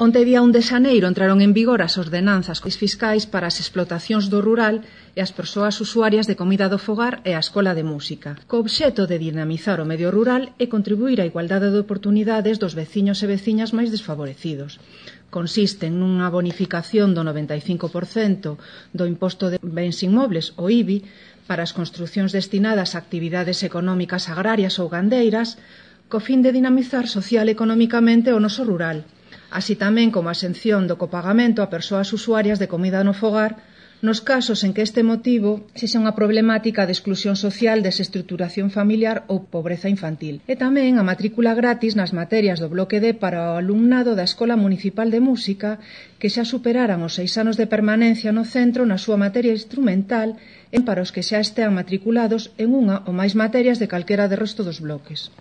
Onte día 1 de xaneiro entraron en vigor as ordenanzas fiscais para as explotacións do rural e as persoas usuarias de comida do fogar e a escola de música, co obxeto de dinamizar o medio rural e contribuir á igualdade de oportunidades dos veciños e veciñas máis desfavorecidos. Consisten nunha bonificación do 95% do imposto de bens inmobles, o IBI, para as construcións destinadas a actividades económicas agrarias ou gandeiras, co fin de dinamizar social e económicamente o noso rural, así tamén como a exención do copagamento a persoas usuarias de comida no fogar nos casos en que este motivo sexa unha problemática de exclusión social, desestruturación familiar ou pobreza infantil. E tamén a matrícula gratis nas materias do bloque D para o alumnado da Escola Municipal de Música que xa superaran os 6 anos de permanencia no centro na súa materia instrumental e para os que xa estean matriculados en unha ou máis materias de calquera de resto dos bloques.